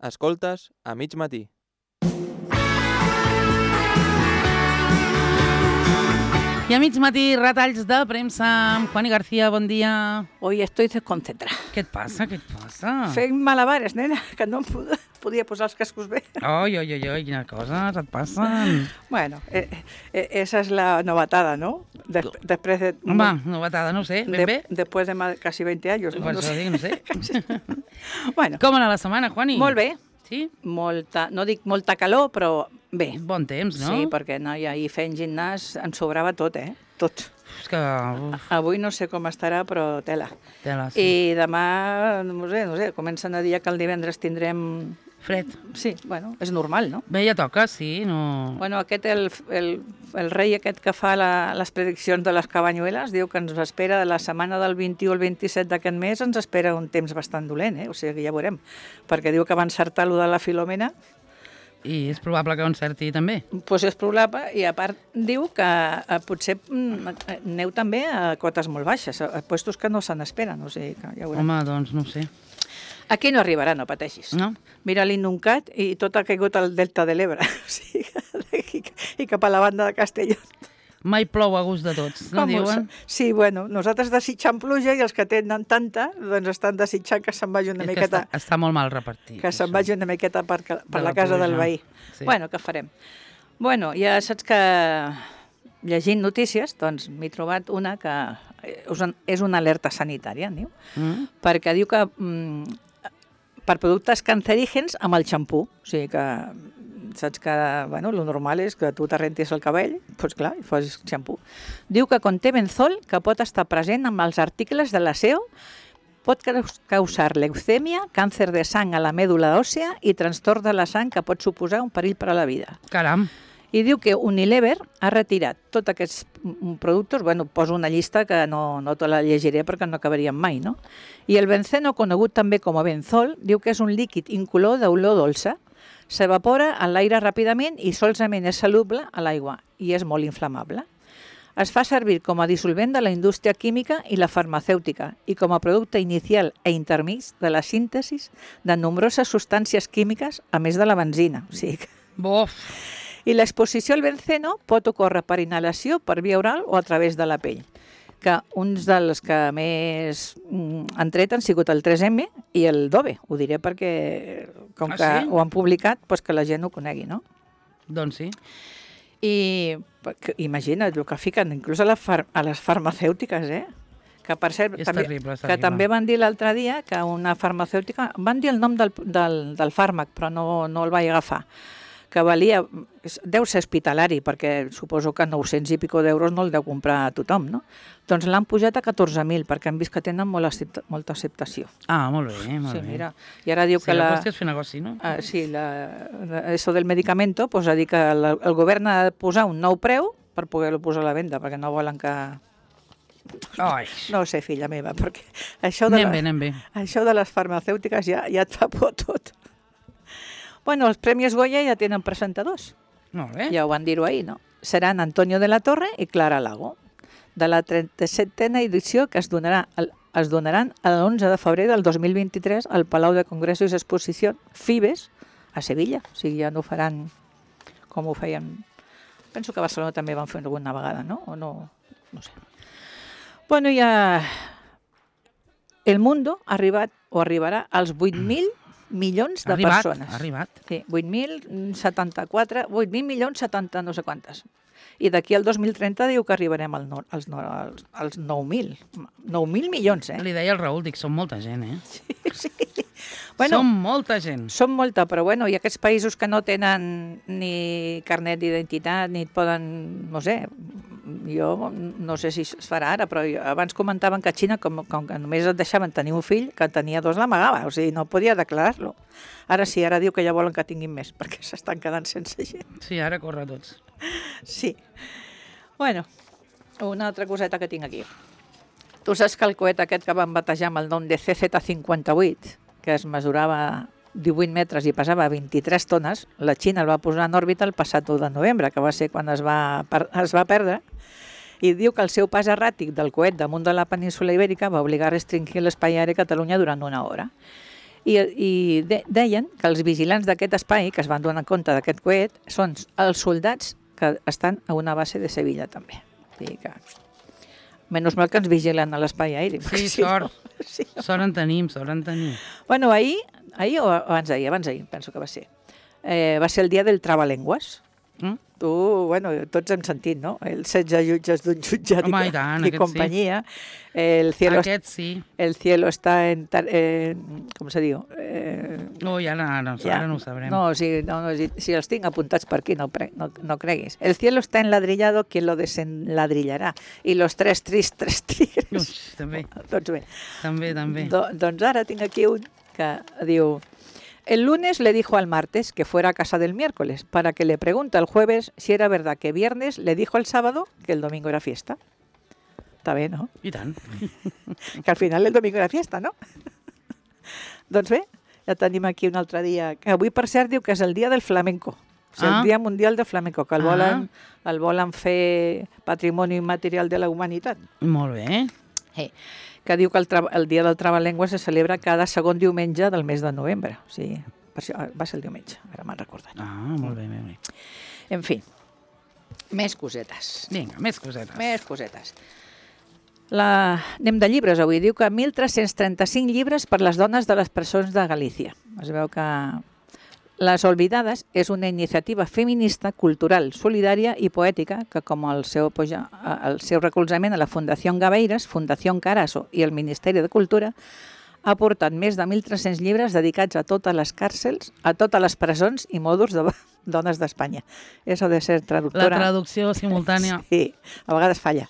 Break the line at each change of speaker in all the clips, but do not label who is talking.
Escoltes a mig matí.
I a mig matí, retalls de premsa amb Juani García, bon dia.
Hoy estoy desconcentrada.
Què et passa,
Fent malabares, nena, que no em podia posar els cascos bé.
Oi, quina cosa et passa?
Bueno, esa es la novatada, ¿no? Después de...
Home, novatada, no sé, ben bé.
Después de casi 20 años, ¿no?
Per això dic, no sé.
Bueno.
Com anar la setmana, Juani?
Molt bé.
Sí?
No dic molta calor, però bé.
Bon temps, no?
Sí, perquè no, ja ahir fent gimnàs ens sobrava tot, Tot.
És que...
Avui no sé com estarà, però tela.
Tela, sí.
I demà, no sé, comencen a dir que el divendres tindrem...
Fred.
Sí, bueno, és normal, no?
Bé, ja toca, sí, no...
Bueno, el rei aquest que fa les prediccions de les cabanyueles diu que ens espera de la setmana del 21 al 27 d'aquest mes, ens espera un temps bastant dolent, O sigui, ja veurem. Perquè diu que va encertar allò de la Filomena.
I és probable que ho encerti també.
Doncs és probable, i a part diu que potser aneu també a cotes molt baixes, a puestos que no se n'esperen, o sigui que ja veurem.
Home, doncs no ho sé.
Aquí no arribarà, no pateixis.
No?
Mira l'Innuncat i tot ha caigut al Delta de l'Ebre, o sigui, i cap a la banda de Castelló.
Mai plou a gust de tots, no diuen?
Sí, bueno, nosaltres desitjant pluja i els que tenen tanta, doncs estan desitjant que se'n vagi una miqueta...
Està molt mal repartit.
Que se'n vagi una miqueta per la casa del veí.
Sí.
Bueno, què farem? Bueno, ja saps que llegint notícies, doncs m'he trobat una que és una alerta sanitària, diu, perquè diu que per productes cancerígens amb el xampú, o sigui que saps que, bueno, lo normal és que tu t'arrentis el cabell, doncs clar, i fas xampú. Diu que conté benzol, que pot estar present amb els articles de l'aseo, pot causar leucèmia, càncer de sang a la mèdula òssea i trastorn de la sang que pot suposar un perill per a la vida.
Caram!
I diu que Unilever ha retirat tots aquests productes, bueno, poso una llista que no te la llegiré perquè no acabaríem mai, no? I el benceno, conegut també com a benzol, diu que és un líquid incolor d'olor dolça, s'evapora en l'aire ràpidament i solament és soluble a l'aigua i és molt inflamable. Es fa servir com a dissolvent de la indústria química i la farmacèutica i com a producte inicial e intermig de la síntesi de nombroses substàncies químiques, a més de la benzina. O sigui que...
Bof!
I l'exposició al benceno pot ocórrer per inhalació, per via oral o a través de la pell. Que uns dels que més han tret han sigut el 3M i el Dove. Ho diré perquè, com que ho han publicat, doncs que la gent ho conegui, no?
Doncs sí.
I imagina't el que fiquen, inclús a les farmacèutiques, que per cert, que també van dir l'altre dia que una farmacèutica, van dir el nom del fàrmac, però no el vaig agafar, que valia, deu ser hospitalari, perquè suposo que 900 i pico d'euros no el deu comprar a tothom, no? Doncs l'han pujat a 14.000, perquè han vist que tenen molta acceptació.
Ah, molt bé, molt bé.
Sí, mira, i ara diu que
la qüestió és fer negoci, no?
Sí, això del medicamento, doncs ha dit que el govern ha de posar un nou preu per poder-lo posar a la venda, perquè no volen que... No ho sé, filla meva, perquè això de les farmacèutiques ja et fa por tot. Bueno, els Premis Goya ja tenen presentadors.
Molt bé.
Ja ho van dir-ho ahir, no? Seran Antonio de la Torre i Clara Lago, de la 37a edició que es donaran l'11 de febrer del 2023 al Palau de Congressos i Exposició Fibes, a Sevilla. O sigui, ja no ho faran com ho feien... Penso que a Barcelona també van fer alguna vegada, no? O no? No sé. Bueno, ja... El Mundo ha arribat o arribarà als 8.000 milions de persones.
Ha arribat.
Sí, 8.074, 8.000 milions 70 no sé quantes. I d'aquí al 2030 diu que arribarem als 9.000. 9.000 milions,
Li deia al Raül, dic, són molta gent,
Sí. Bueno,
som molta gent.
Són molta, però bueno, i aquests països que no tenen ni carnet d'identitat, ni et poden, no sé, jo no sé si es farà ara, però abans comentaven que a Xina, com que només et deixaven tenir un fill, que tenia dos l'amagava, o sigui, no podia declarar-lo. Ara sí, ara diu que ja volen que tinguin més, perquè s'estan quedant sense gent.
Sí, ara corre tots.
Sí. Bueno, una altra coseta que tinc aquí. Tu saps que el coet aquest que van batejar amb el nom de CZ-58, que es mesurava 18 metres i pesava 23 tones, la Xina el va posar en òrbita el passat 1 de novembre, que va ser quan es va perdre, i diu que el seu pas erràtic del coet damunt de la península Ibèrica va obligar a restringir l'espai aeri a Catalunya durant una hora. deien que els vigilants d'aquest espai, que es van donar compte d'aquest coet, són els soldats que estan a una base de Sevilla també. O sigui que... Menys mal que ens vigilen a l'espai aeri.
Sí,
si
sort.
No, sí.
Sort en tenim, sort en tenim.
Bueno, ahir o abans d'ahir, penso que va ser. Va ser el dia del Trabalengües. Tu, bueno, tots hem sentit, no? El 16 jutges d'un jutjat
Home, i tant,
i
aquest
companyia.
Sí. Aquest sí.
El cielo está en... com se diu?
Ui, ara no ho sabrem.
No, si els tinc apuntats per aquí, no creguis. El cielo está enladrillado, quien lo desenladrillarà. I los tres tigres...
Ui, també.
Doncs bé.
També.
Doncs ara tinc aquí un que diu... El lunes le dijo al martes que fuera a casa del miércoles para que le pregunte el jueves si era verdad que viernes le dijo el sábado que el domingo era fiesta. Està bé, no?
I tant.
Que al final el domingo era fiesta, no? Doncs bé, ja tenim aquí un altre dia, que avui per cert diu que és el dia del flamenco. O sigui, el Dia Mundial del Flamenco, que el volen fer patrimoni immaterial de la humanitat.
Molt bé.
Que diu que el Dia del Trabalengua se celebra cada segon diumenge del mes de novembre. O sigui, per això va ser el diumenge, ara me'n recordat.
Molt bé.
En fi, més cosetes.
Vinga, més cosetes.
Anem de llibres avui. Diu que 1.335 llibres per les dones de les presons de Galícia. Es veu que Les Olvidades és una iniciativa feminista, cultural, solidària i poètica que, com el seu recolzament a la Fundació Gaveiras, Fundació Carasso i el Ministeri de Cultura, ha portat més de 1.300 llibres dedicats a totes les càrcels, a totes les presons i mòduls de dones d'Espanya. Eso de ser traductora...
La traducció simultània.
Sí, a vegades falla.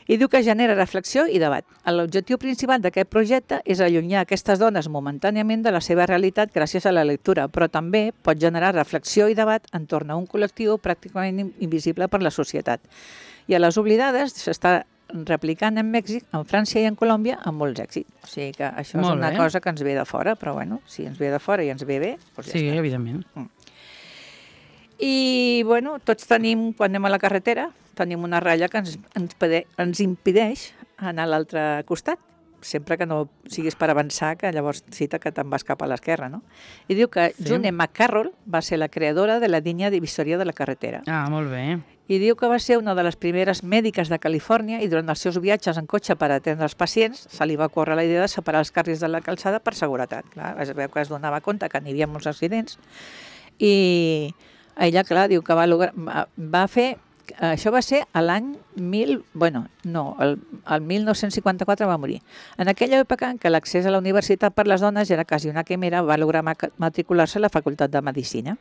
I diu que genera reflexió i debat. L'objectiu principal d'aquest projecte és allunyar aquestes dones momentàniament de la seva realitat gràcies a la lectura, però també pot generar reflexió i debat entorn a un col·lectiu pràcticament invisible per la societat. I a Les Oblidades s'està replicant en Mèxic, en França i en Colòmbia amb molts èxits. O sigui que això és una cosa que ens ve de fora, però bueno, si ens ve de fora i ens ve bé, doncs ja està.
Sí, evidentment.
I, bueno, tots tenim, quan anem a la carretera, tenim una ratlla que ens impedeix anar a l'altre costat, sempre que no siguis per avançar, que llavors cita que te'n vas cap a l'esquerra, no? I diu que June McCarroll va ser la creadora de la línia divisòria de la carretera.
Molt bé.
I diu que va ser una de les primeres mèdiques de Califòrnia i durant els seus viatges en cotxe per atendre els pacients se li va córrer la idea de separar els carrils de la calçada per seguretat. Clar, es veu que es donava compte que n'hi havia molts accidents i ella, clar, diu que va fer... Això va ser l'any el 1954 va morir. En aquella època en què l'accés a la universitat per les dones era quasi una quimera, va lograr matricular-se a la Facultat de Medicina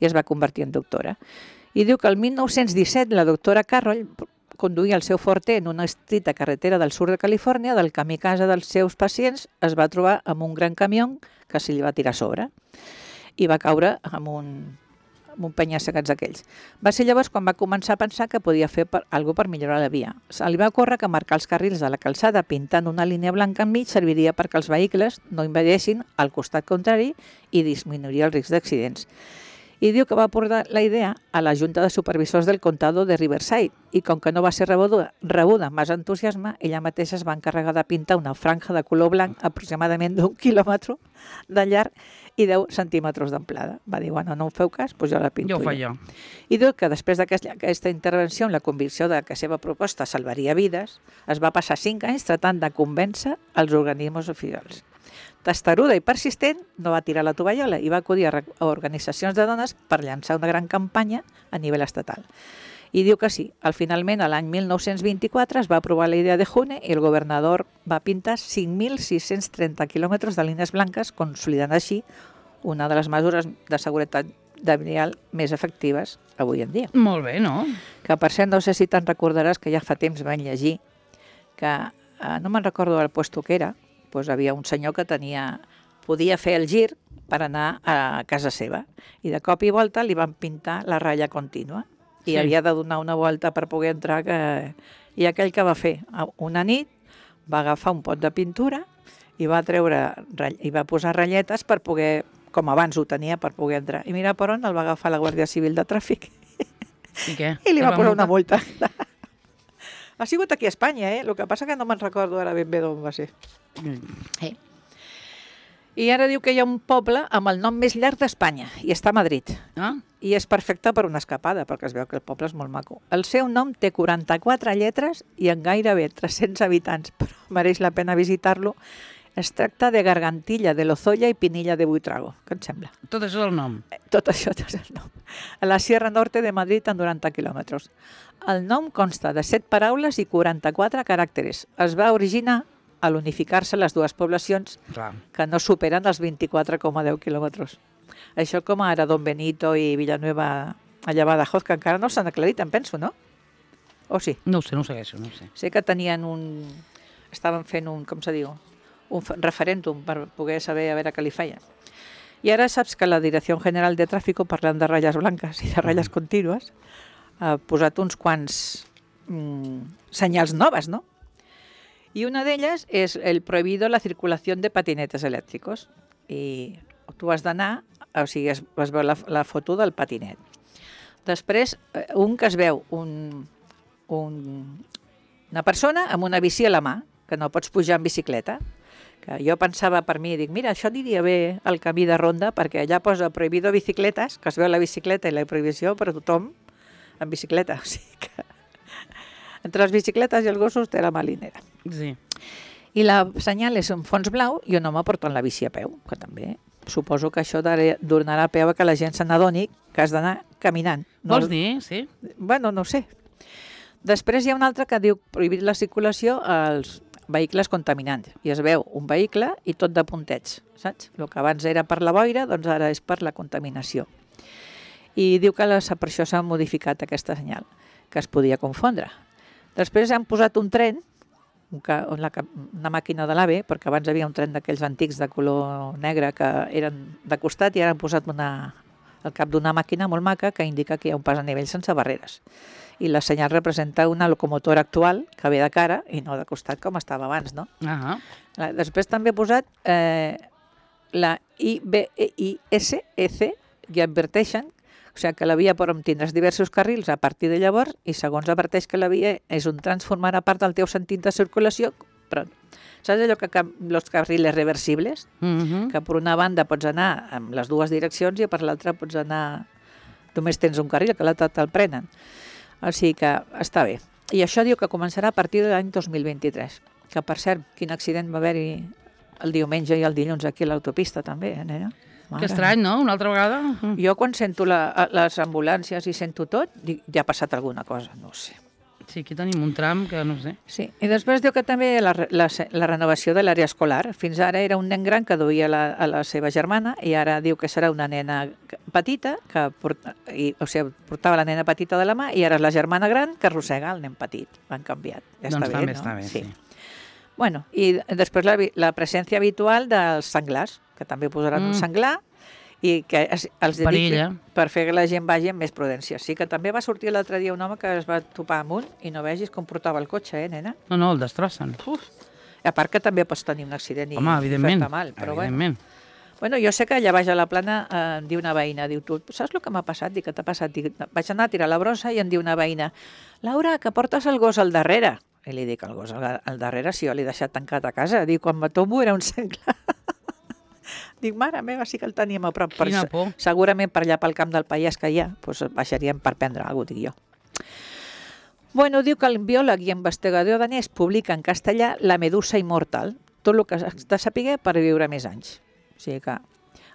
i es va convertir en doctora. I diu que el 1917 la doctora Carroll conduïa el seu forte en una estrita carretera del sud de Califòrnia, del camí a casa dels seus pacients, es va trobar amb un gran camió que se li va tirar a sobre i va caure amb un penya-segats d'aquells. Va ser llavors quan va començar a pensar que podia fer alguna cosa per millorar la via. Se li va ocórrer que marcar els carrils de la calçada pintant una línia blanca enmig serviria perquè els vehicles no invadessin al costat contrari i disminuiria el risc d'accidents. I diu que va portar la idea a la Junta de Supervisors del Condado de Riverside i com que no va ser rebuda amb més entusiasme, ella mateixa es va encarregar de pintar una franja de color blanc aproximadament d'1 quilòmetre de llarg i 10 centímetres d'amplada. Va dir, bueno, no em feu cas, doncs jo la pinto.
Jo ho faig jo.
I diu que després d'aquesta intervenció amb la convicció de que la seva proposta salvaria vides, es va passar 5 anys tratant de convèncer els organismes oficials. Testaruda i persistent, no va tirar la tovallola i va acudir a organitzacions de dones per llançar una gran campanya a nivell estatal. I diu que sí, finalment, l'any 1924 es va aprovar la idea de June i el governador va pintar 5.630 quilòmetres de línies blanques, consolidant així una de les mesures de seguretat vial més efectives avui en dia.
Molt bé, no?
Que per cert, no sé si te'n recordaràs que ja fa temps vam llegir que, no me'n recordo del puesto que era, doncs havia un senyor que podia fer el gir per anar a casa seva i de cop i volta li van pintar la ratlla contínua i havia de donar una volta per poder entrar i aquell que va fer una nit va agafar un pot de pintura i va posar ratlletes per poder, com abans ho tenia, per poder entrar. I mira per on el va agafar la Guàrdia Civil de Tràfic.
I què?
I li va posar una multa. Ha sigut aquí a Espanya, El que passa que no me'n recordo ara ben bé d'on va ser. I ara diu que hi ha un poble amb el nom més llarg d'Espanya, i està a Madrid.
Ah?
I és perfecte per una escapada, perquè es veu que el poble és molt maco. El seu nom té 44 lletres i en gairebé 300 habitants, però mereix la pena visitar-lo. Es tracta de Gargantilla de Lozoya i Pinilla de Buitrago. Què et sembla?
Tot això és el nom.
Tot això és el nom. A la Sierra Norte de Madrid, en 90 quilòmetres. El nom consta de 7 paraules i 44 caràcteres. Es va originar a l'unificar-se les dues poblacions
Clar.
que no superen els 24,10 quilòmetres. Això com ara Don Benito i Villanueva allà a Badajoz, que encara no s'han aclarit, em penso, no? O sí?
No ho sé, no ho segueixo, no ho sé.
Sé que tenien estaven fent un, com se diu, un referèndum per poder saber a veure què li feien. I ara saps que la Direcció General de Tràfico, parlant de ratlles blanques i de ratlles contínues, ha posat uns quants senyals noves, no? Y una de ellas es el prohibido la circulación de patinetes elèctrics. I tu has d'anar, o sigui, es veu la foto del patinet. Després, un que es veu una persona amb una bici a la mà, que no pots pujar en bicicleta, que jo pensava per mi, dic, mira, això aniria bé al camí de ronda, perquè allà posa prohibido bicicletes, que es veu la bicicleta i la prohibició per a tothom en bicicleta. O sigui que entre les bicicletes i els gossos té la malinera.
Sí.
I la senyal és un fons blau i un home portant la bici a peu, que també suposo que això donarà peu a que la gent se n'adoni que has d'anar caminant.
Vols dir? Sí.
Bueno, no ho sé. Després hi ha un altre que diu prohibir la circulació als vehicles contaminants. I es veu un vehicle i tot de puntets, saps? El que abans era per la boira, doncs ara és per la contaminació. I diu que per això s'ha modificat aquesta senyal, que es podia confondre. Després han posat un tren, una màquina de l'AVE, perquè abans hi havia un tren d'aquells antics de color negre que eren de costat i ara han posat al cap d'una màquina molt maca que indica que hi ha un pas a nivell sense barreres. I la senyal representa una locomotora actual que ve de cara i no de costat com estava abans, no? Després també he posat la IBISEC i adverteixen, o sigui que la via pot tindràs diversos carrils a partir de llavors i segons adverteix que la via és un tram formarà part del teu sentit de circulació, però saps allò que els carrils reversibles? Que per una banda pots anar amb les dues direccions i per l'altra pots anar, només tens un carril, que l'altre te'l prenen. O sigui que està bé. I això diu que començarà a partir de l'any 2023. Que per cert, quin accident va haver-hi el diumenge i el dilluns aquí a l'autopista també, nena?
Que estrany, no? Una altra vegada?
Jo quan sento les ambulàncies i sento tot, dic, ja ha passat alguna cosa, no ho sé.
Sí, aquí tenim un tram que no sé.
Sí, i després diu que també la renovació de l'àrea escolar. Fins ara era un nen gran que duia a la seva germana i ara diu que serà una nena petita, o sigui, portava la nena petita de la mà i ara és la germana gran que arrossega el nen petit. L'han canviat. Ja
doncs
està bé, no?
Està bé, sí.
Bueno, i després la presència habitual dels senglars, que també posaran un senglar i que els dediqui per fer que la gent vagi amb més prudència. Sí que també va sortir l'altre dia un home que es va topar amunt i no vegis com portava el cotxe, nena?
No, el destrossen.
A part que també pots tenir un accident i fer-te mal. Però bueno, jo sé que allà baix a la plana em diu una veïna, diu, tu saps el que m'ha passat? Dic, què t'ha passat? Dic, vaig anar a tirar la brossa i em diu una veïna, Laura, que portes el gos al darrere. I li dic, el gos al darrere, si jo l'he deixat tancat a casa. Dic, quan me tomo era un senglar. Dic, mare meva, sí que el teníem a prop.
Quina por.
Segurament per allà pel camp del Pallars que hi ha, doncs baixaríem per prendre alguna cosa, dic jo. Bueno, diu que el biòleg i investigador danès publica en castellà La medusa immortal, tot el que has de saber per viure més anys. O sigui que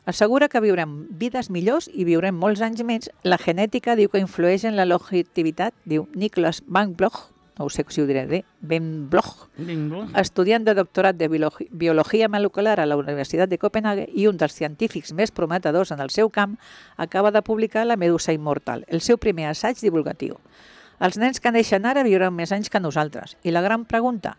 assegura que viurem vides millors i viurem molts anys més. La genètica diu que influeix en la longevitat, diu Niklas Van Bloch, no sé si ho diré bé, Ben Bloch, estudiant de doctorat de biologia molecular a la Universitat de Copenhague i un dels científics més prometedors en el seu camp, acaba de publicar La medusa immortal, el seu primer assaig divulgatiu. Els nens que neixen ara viuran més anys que nosaltres. I la gran pregunta,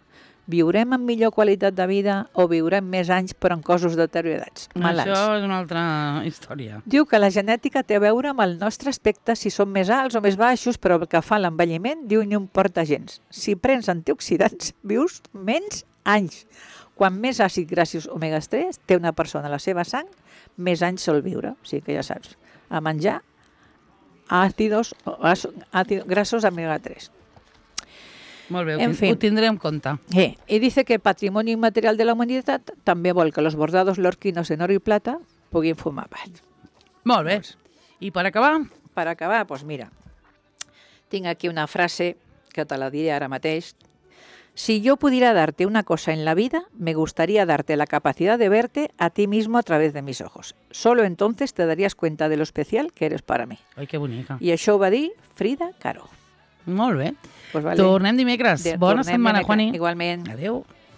viurem amb millor qualitat de vida o viurem més anys però en cossos deteriorats, malalts?
Això és una altra història.
Diu que la genètica té a veure amb el nostre aspecte, si som més alts o més baixos, però el que fa l'envelliment, diu, no importa gens. Si prens antioxidants, vius menys anys. Quan més àcid grassos omega-3 té una persona a la seva sang, més anys sol viure. O sigui que ja saps, a menjar grassos omega-3.
Molt bé,
En fin.
ho tindré en compte.
Y dice que Patrimonio Inmaterial de la Humanidad també vol que los bordados lorquinos en oro y plata puguin formar part.
Molt bé. I per acabar?
Per acabar, doncs mira, tinc aquí una frase que te la diré ara mateix. Si yo pudiera darte una cosa en la vida, me gustaría darte la capacidad de verte a ti mismo a través de mis ojos. Solo entonces te darías cuenta de lo especial que eres para mí.
Ai, que bonica.
I això ho va dir Frida Kahlo.
Molt bé.
Pues vale.
Tornem dimecres. Bona
Tornem
setmana,
dimecres.
Juani.
Igualment.
Adéu.